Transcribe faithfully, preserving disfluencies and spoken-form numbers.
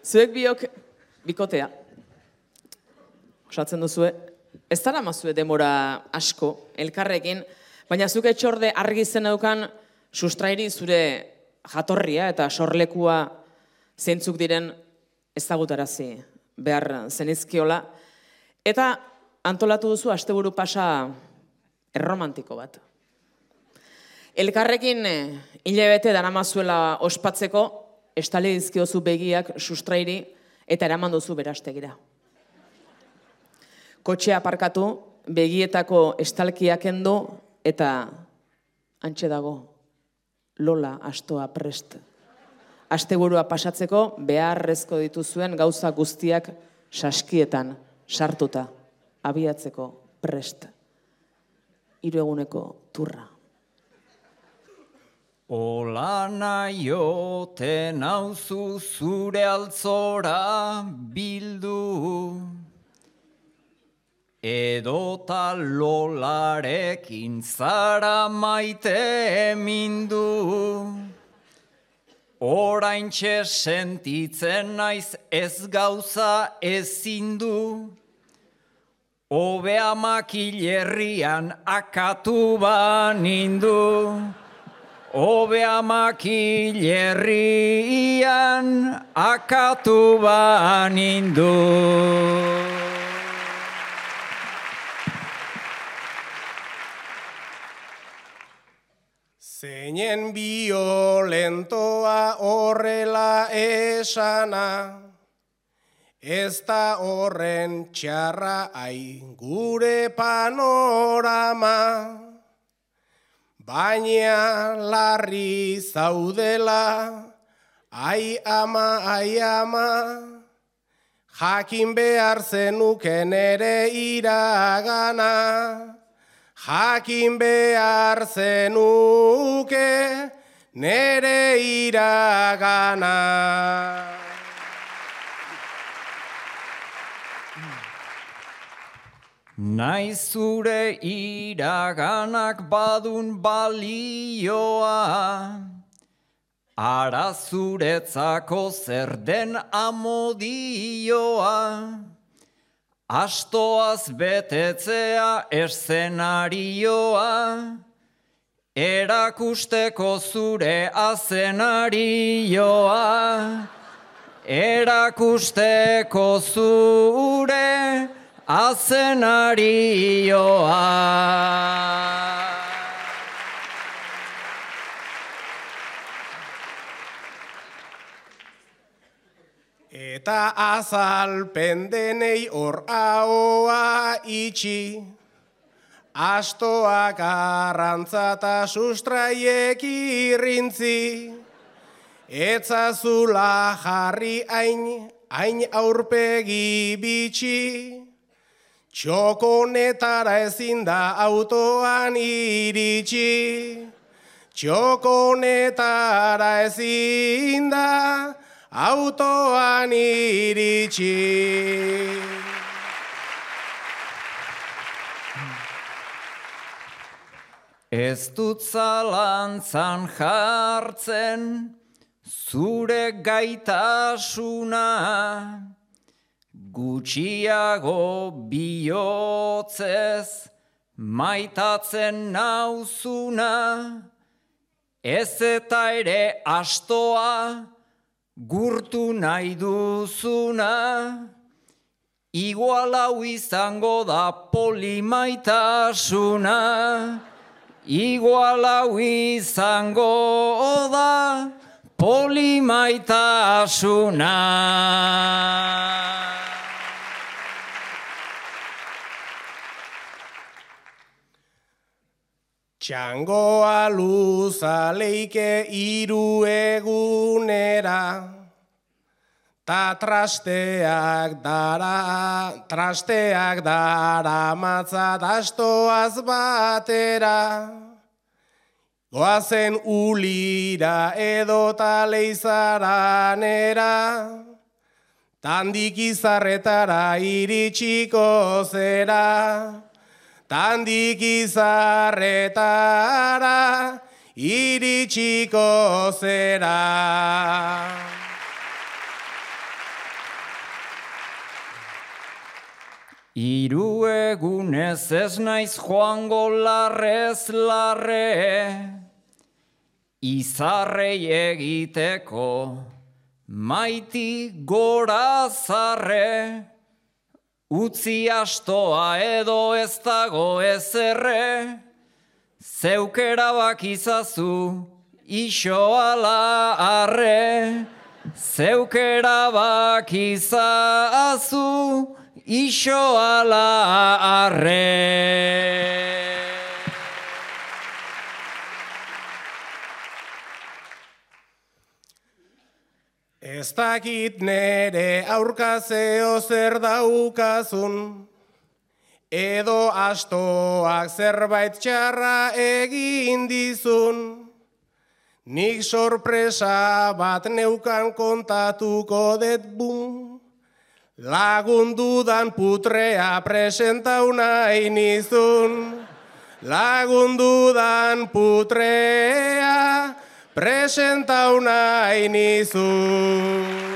Zuek biok bikotea. Osatzen duzue, ez dara mazue demora asko, elkarrekin, baina zuk etxorde argi zen eukan sustrairi zure jatorria eta sorlekua zeintzuk diren ezagutarazi behar zenizkiola. Eta antolatu duzu asteburu pasa erromantiko bat. Elkarrekin hilabete daramazuela ospatzeko, estali dizkiozu begiak sustrairi eta eraman duzu berastegira. Kotxea aparkatu, begietako estalkiak endo eta hantxe dago, Lola astoa prest. Asteburua pasatzeko beharrezko dituzuen gauza guztiak saskietan sartuta, abiatzeko prest. Hiru eguneko turra. Ola naiote nauzu zure altzora bildu, edota Lolarekin zara maite mindu. Oraintxe sentitzen naiz ez gauza ezin du, hobea makilerrian akatu banindu. Hobea makilerrian akatu banindu. Zeinen violentoa horrela esana, ez da horren txarra ai gure panorama, baina larri zaudela, ai ama, ai ama, jakin behar zenuken ere iragana. Jakin behar zenuke nere iragana. Naiz zure iraganak badun balioa, ara zuretzako zer den amodioa. Astoaz betetzea eszenarioa, erakusteko zure azenarioa, erakusteko zure azenarioa. Eta azalpen denei hor ahoa itxi, astoak arrantza eta sustraiek irrintzi, etzazula jarri hain, hain aurpegi bitxi, txokonetara ezin da autoan iritsi, txokonetara ezin da autoan iritsi. Ez dut zalantzan jartzen zure gaitasuna, gutxiago bihotzez maitatzen nauzuna, ez eta ere astoa gurtu nahi duzuna, igual hau izango da polimaitasuna, igual hau izango da polimaitasuna. Txangoa luza leike hiru egunera, ta trasteak dara, trasteak dara matzat astoaz batera. Goazen ulira edota leizaranera, tandik izarretara iritsiko zera. Tandik izarretara iritsiko zera. Hiru egunez ez naiz joango larrez larre, izarrei egiteko, maiti gora zarre, utzi astoa edo ez dago ezerre, zeuk erabakizazu iso ala arre, zeuk erabakizazu iso ala arre. Ez dakit nere aurkazeo zer daukazun, edo astoak zerbait txarra egin dizun. Nik sorpresa bat neukan kontatuko det bum, lagundudan putrea presentau nahi nizun. Lagundudan putrea presentau nahi nizun.